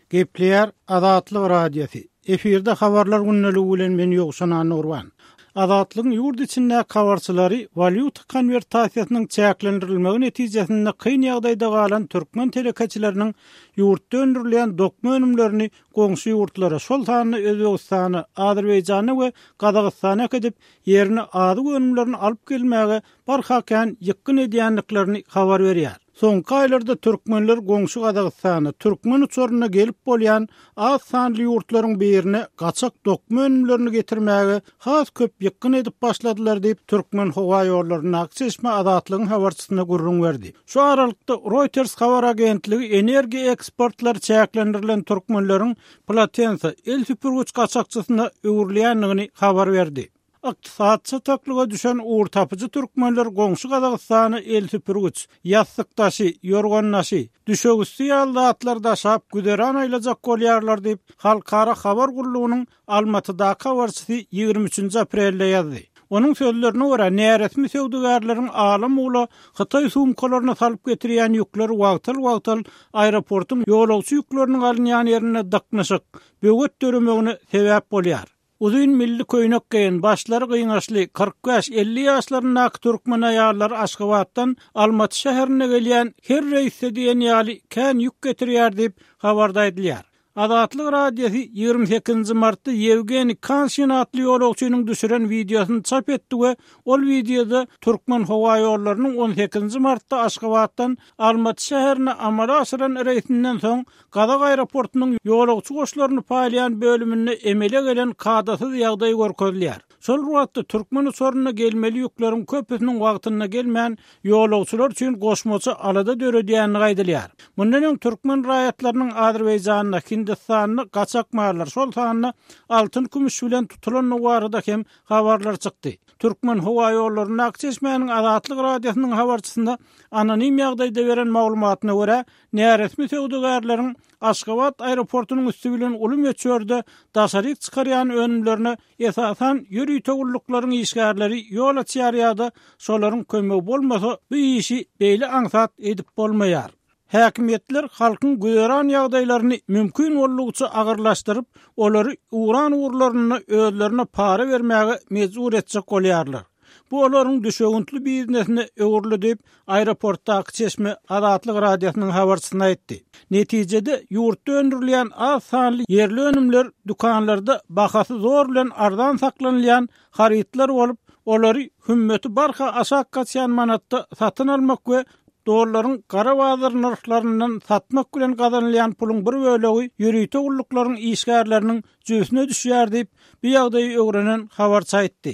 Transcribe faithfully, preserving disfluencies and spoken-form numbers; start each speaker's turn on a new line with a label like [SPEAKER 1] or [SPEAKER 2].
[SPEAKER 1] Gepleýär Azatlyk Radiosy. Efirde habarlar gündeligi bilen men Ýowşan Annagurban. Azatlygyň ýurt içindäki habarçylary walýuta konwertasiýasynyň çäklendirilmegi netijesinde kyn ýagdaýda galan türkmen telekeçileriniň ýurtda öndürilýän dokma önümlerini goňşy ýurtlara, şol sanda Özbegistana, Azerbaýjana we Gazagystana äkidip, ýerine azyk önümlerini alyp gelmäge barha kän ýykgyn edýändiklerini habar berýär. Soňky aýlarda türkmenler goňşy Gazagystana, türkmen uçarynda gelip bolýan az sanly ýurtlaryň birine gaçak dokma önümlerini getirmäge has köp ýykgyn edip başladylar diýip, Türkmenhowaýollaryndaky çeşme Azatlygyň habarçysyna gürrüň berdi. Şu aralykda Reuters habar agentligi energiýa eksportlary çäklendirilen türkmenleriň plotensa, el süpürgiç gaçakçysyna öwrülýändigini habar berdi. Ykdysady çataklyga düşen ugurtapyjy türkmenler goňşy Gazagystana el süpürgiç, ýassyk daşy, ýorgan daşy, düşegüsti ýaly zatlary daşap güzeran aýlajak bolýarlar diýip, Halkara habar gullugynyň Almatydaky habarçysy ýigrimi üçünji aprelde ýazdy. Onuň sözlerine görä, näresmi söwdagärleriň ala-mula hytaý sumkalaryna salyp getirýän ýükleri wagtal-wagtal aeroportuň ýolagçy ýükleriniň alynýan ýerinde dyknyşyk, böwet döremegine sebäp bolýar. Uzyn milli köýnek geýen, başlary gyňaçly, kyrk bäş-elli ýaşlaryndaky türkmen aýallary Aşgabatdan Almaty şäherine gelýän her reýsde diýen ýaly kän ýük getirýär diýip, habarda aýdylýar. Azatlyk Radiosy ýigrimi sekizinji martda Ýewgeniý Kanşin atly ýolagçynyň düşüren wideosyny çap etdi we ol wideoda Türkmenhowaýollarynyň on sekizinji martda Aşgabatdan Almaty şäherine amala aşyran reýsinden soň Gazak aeroportunyň ýolagçy goşlaryny paýlaýan bölüminde emele gelen kadasyz ýagdaý görkezilýär. Şol bir wagtda türkmen uçarynda gelmeli ýükleriň köpüsiniň wagtynda gelmän, ýolagçylar üçin goşmaça alada döredýändigi aýdylýar. Mundan öň türkmen raýatlarynyň Azerbaýjanda, Hindistanda gaçak mallar, şol sanda altyn-kümüş bilen tutulandygy barada hem habarlar çykdy. Türkmenhowaýollaryndaky çeşmäniň Azatlyk Radiosynyň habarçysyna anonim ýagdaýda beren maglumatyna görä, näresmi söwdagärleriň Aşgabat aeroportunyň üsti bilen uly möçberde daşaryk çykarýan önümlerine esasan ýörite gulluklaryň işgärleri ýol açýar ýa-da şolaryň kömegi bolmasa bu işi beýle aňsat edip bolmaýar. Häkimiýetler halkyň güzeran ýagdaýlaryny mümkin boldugyça agyrlaşdyryp, olary ugran ugurlarynda özlerine para bermäge mejbur etjek bolýarlar. Bu olaryň düşewüntli biznesine öwrüldi diýip, aeroportdaky çeşme Azatlyk Radiosynyň habarçysyna aýtdy. Netijede ýurtda öndürilýän az sanly ýerli önümler dükanlarda bahasy zor bilen arzan saklanylýan harytlar bolup, olary hümmeti barha aşak gaçýan manatda satyn almak we dollaryň gara bazar nyrhlaryndan satmak bilen gazanylýan puluň bir bölegi ýörite gulluklaryň işgärleriniň jübüsine düşýär diýip, bu ýagdaýy öwrenen habarçy aýtdy.